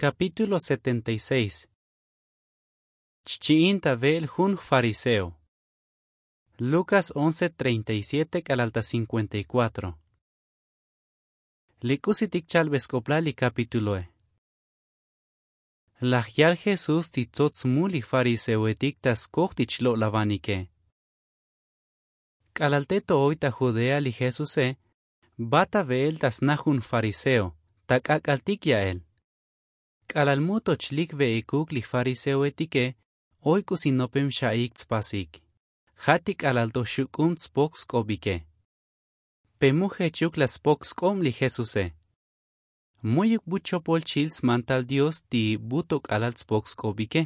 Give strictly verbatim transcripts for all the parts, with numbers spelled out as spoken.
Kapítulo setenta y seis. Chchi'in ta ve'el jun fariseo. Lukas once treinta y siete k'alal ta cincuenta y cuatro. Li k'usitik chalbe sk'oplal li kapítuloe. Laj yal jesús ti tsots smul li fariseoetik ta skoj ti chlo'lavanike. K'alal te to oy ta judea li jesuse, bat ta ve'el ta sna jun fariseo ta k'ak'altik ya'el. K'alal mu to chlik ve'ikuk li fariseoetike, oy k'usi nopem xa'ik tspasik. Ja' ti k'alal to xuk'un tspok sk'obike. Pe mu jechuk la spok sk'ob li jesuse. Mu'yuk bu chopol chil smantal dios ti bu to k'alal tspok sk'obike.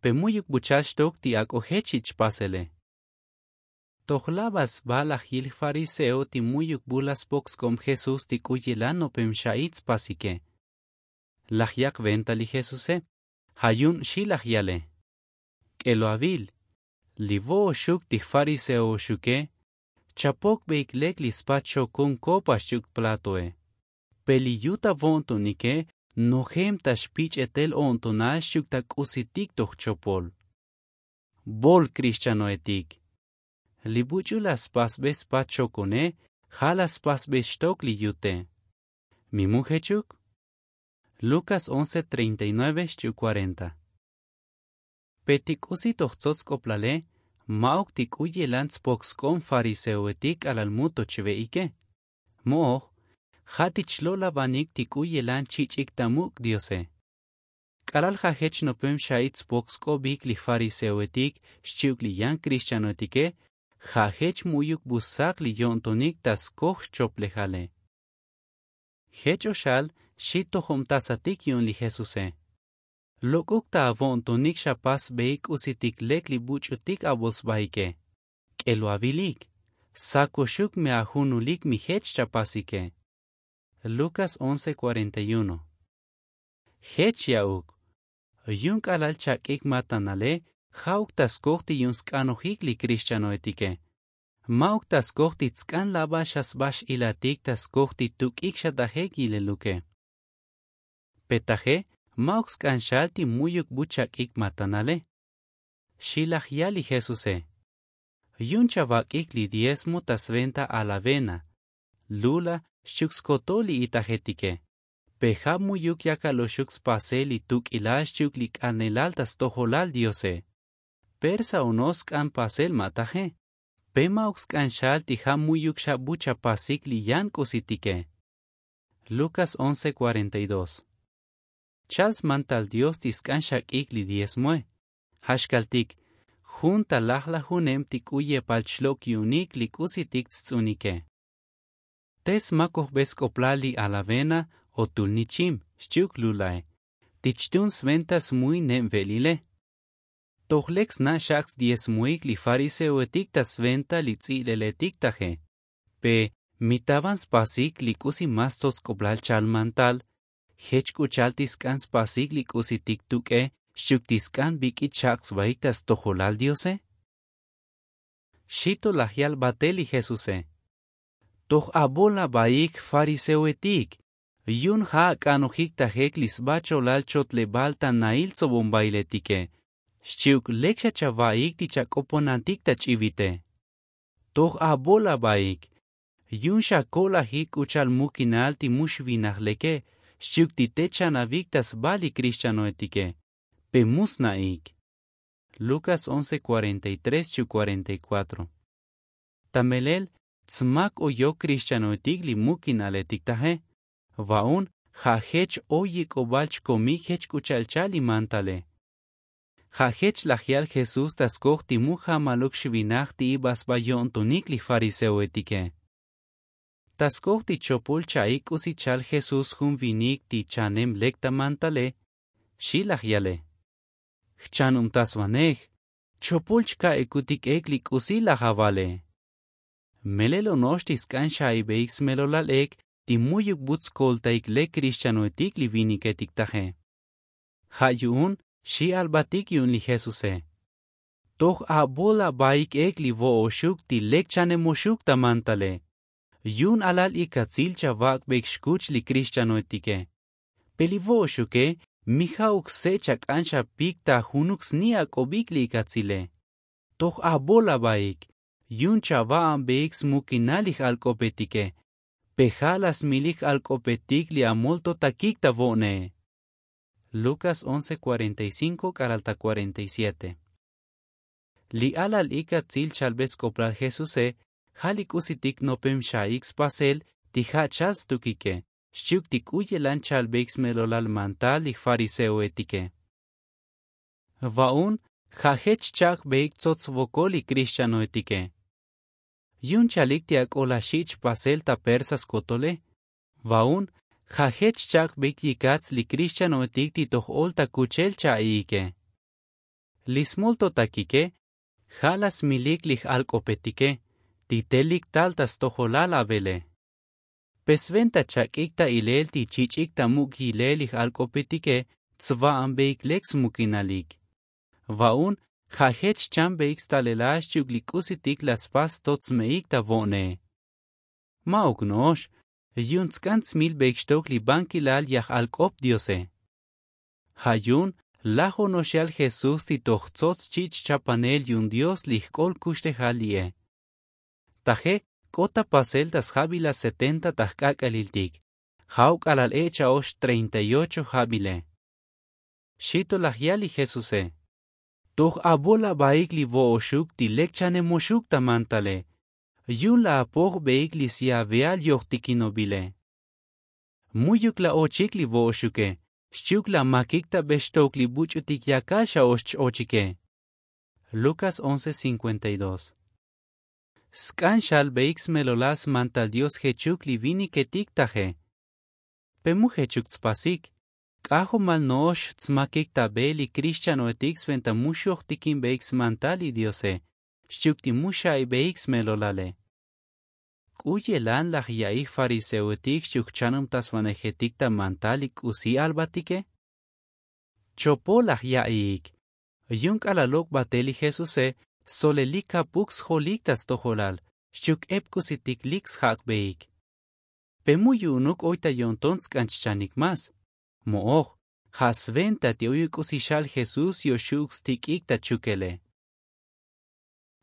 Pe mu'yuk bu chal xtok ti ak'o jech chi' chpasele. Toj laba sba laj yil fariseo ti mu'yuk bu la spok sk'ob jesús ti k'u yelan nopem xa'i tspasike. Laj yak' venta li jesuse. Ja' yu'un xi laj yale. K'eloavil, li vo'oxuk ti fariseo oxuke, chapokbeik lek li spa chokon kopa xchi'uk platoe. Pe li yut avo'ntonike nojem ta xpich'etel o'ntonal xchi'uk ta k'usitik toj chopol. Vol krixchanoetik, li buch'u la spasbe spa chokone, ja' la spasbe xtok li yute. Mi mu jechuk? Lukas once treinta y nueve xchi'uk cuarenta. Pe ti k'usi toj tsots sk'oplale, ma'uk ti k'u yelan tspok sk'ob fariseoetik k'alal mu to chve'ike. Mo'oj, ja' ti chlo'lavanik ti k'u yelan chich'ik ta muk' diose. K'alal ja' jech nopem xa'i tspok sk'obik li fariseoetik xchi'uk li yan krixchanoetike, ja' jech mu'yuk bu sak li yo'ntonik ta skoj xchoplejale. Jech o xal xi tojobtasatik yu'un li jesuse. Lok'uk ta avo'ntonik xapasbeik k'usitik lek li buch'utik avol sbaike. K'eloavilik, sakoxuk me ajunulik mi jech chapasike. Lukas once cuarenta y uno. Jech ya'uk. Yu'un k'alal chak'ik matanale, ja'uk ta skoj ti yu'un sk'anojik li krixchanoetike. Ma'uk ta skoj ti tsk'an laba xa sba x'ilatik ta skoj ti tuk'ik xa tajek yileluke. Pe taje, ma'uk sk'an xal ti mu'yuk bu chak'ik matanale. Xi laj yal li jesuse. Yu'un chavak'ik li diezmo ta sventa al avena, lula xchi'uk skotol li itajetike. Pe ja' mu'yuk yakal oxuk spasel li tuk'ilal xchi'uk li k'anelal ta stojolal diose. Persa o no sk'an pasel ma taje. Pe ma'uk sk'an xal ti ja' mu'yuk xa bu chapasik li yan k'usitike. Lukas once cuarenta y dos. Chal smantal dios ti sk'an xak'ik li diezmoe. Ja' xkaltik, jun ta lajlajunem ti k'u yepal chlok' yu'unik li k'usitik tsts'unike. Te smakojbe sk'oplal li alavena o tul nichim xchi'uk lulae, ti chtun sventa smuy neb ve'lile. Toj lek sna' xak' sdiezmoik li fariseoetik ta sventa li ts'i'leletik taje. Pe mi ta van spasik li k'usi mas tsots sk'oplal chal mantal, jech k'u chal ti sk'an spasik li k'usitik tuk'e xchi'uk ti sk'an bik'it xak' sbaik ta stojolal diose? Xi to laj yal batel li jesuse. Toj abol abaik fariseoetik, yu'un ja' ak'anojik tajek li sba cholal chotlebal ta nail tsobombailetike, xchi'uk lek xa chavaik ti chak'oponantik ta ch'ivite. Toj abol abaik, yu'un xako'lajik k'u chal mukinal ti mu xvinaj leke xchi'uk ti te chanavik ta sba li krixchanoetike, pe mu sna'ik. Lukas once cuarenta y tres xchi'uk cuarenta y cuatro. Ta melel tsmak oyok krixchanoetik li mukinaletik taje. Va'un ja' jech oy yik'obal chkomik jech k'u cha'al chal li mantale. Ja' jech laj yal jesús ta skoj ti mu jamaluk xvinaj ti iba sba yo'ntonik li fariseoetike. Ta skoj ti chopol cha'i k'usi chal jesús jun vinik ti chanem lek ta mantale, xi laj yale. Jchanubtasvanej, chopol chka'ikutik ek li k'usi laj avale. Melel ono'ox ti sk'an xa'ibeik smelolal ek ti mu'yuk bu tskoltaik lek krixchanoetik li viniketik taje. Ja' yu'un xi albatik yu'un li jesuse. Toj abol abaik ek li vo'oxuk ti lek chanemoxuk ta mantale. Yu'un alal ikatsil chavak'beik xkuch li krixchanoetike. Pe li vo'oxuke Mi ja'uk se' chak'anxapik ta junuk sni' ak'obik li ikatsile. Toj abol abaik yu'un chava'anbeik smukinal li j'alk'opetike. Pe ja' laj smilik j'alk'opetik li amoltotakik ta vo'ne. Lukas once cuarenta y cinco k'alal ta cuarenta y siete. Li alal ikatsil chalbe sk'oplal jesuse ja' li k'usitik nopem xaik spasel ti ja' chal stukike xchi'uk ti k'u yelan chalbeik smelolal mantal li fariseoetike. Va'un ja' jech chak'beik tsots svokol li krixchanoetike. Yu'un chalik ti ak'o laj xich' pasel ta persa skotole. Va'un ja' jech chak'beik yikats li krixchanoetik ti toj ol ta kuchel cha'iike. Li smoltotakike ja' laj smilik li j'alk'opetike ti telik tal ta stojolal avele. Pe sventa chak'ik ta ilel ti chich'ik ta muk' yilel li j'alk'opetike tsva'anbeik lek smukinalik. Va'un ja' jech chambeik stalelal xchi'uk li k'usitik laj spas tot sme'ik ta vo'ne. Ma'uk no'ox yu'un tsk'an tsmilbeik xtok li bankilal yaj'alk'op diose. Ja' yu'un laj ono'ox yal jesús ti toj tsots chich' chapanel yu'un dios li jk'ol kuxlejal li'e. Taje k'ot ta pasel ta sjabilal setenta ta jk'ak'aliltik ja'uk k'alal e' cha'ox treinta y ocho jabile. Xi to laj yal li jesuse. Toj abol abaik li vo'oxuk ti lek chanemoxuk ta mantale. Yu'un laj apojbeik li syaveal yojtikinobile. Mu'yuk laj ochik li vo'oxuke xchi'uk laj makik ta be xtok li buch'utik yakal xa'ox ch-ochike. Lukas once cincuenta y dos. Sk'an xalbeik smelolal smantal dios jechuk li viniketik taje. Pe mu jechuk tspasik k'ajomal no'ox tsmakik ta be li krixchanoetik sventa mu xojtikinbeik smantal li diose xchi'uk ti mu xa'ibeik smelolale. K'u yelan laj ya'iy fariseoetik xchi'uk jchanub ta svanejetik ta mantal li k'usi albatike? Chopol laj ya'iik yu'un k'alal lok' batel li jesuse solelik kapuk sjolik ta stojolal xchi'uk ep k'usitik lik sjak'beik. Pe mu yu'unuk oy ta yo'nton tsk'an chchanik mas? Mo'oj ja' sventa ti oyuk k'usi xal jesús yoxu'uk stik'ik ta chukele.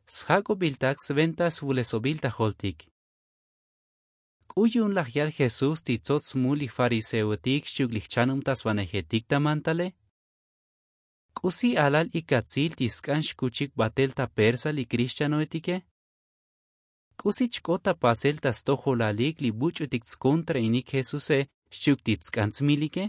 Sjak'obiltak sventa svulesobil ta joltik. K'u yu'un laj yal jesús ti tsots smul li fariseoetik xchi'uk li jchanub ta svanejetik ta mantale? K'usi alal ikatsil ti sk'an xkuchik batel ta persa li krixchanoetike? K'usi chk'ot ta pasel ta stojolalik li buch'utik tskontrainik jesuse xchi'uk ti tsk'an tsmilike?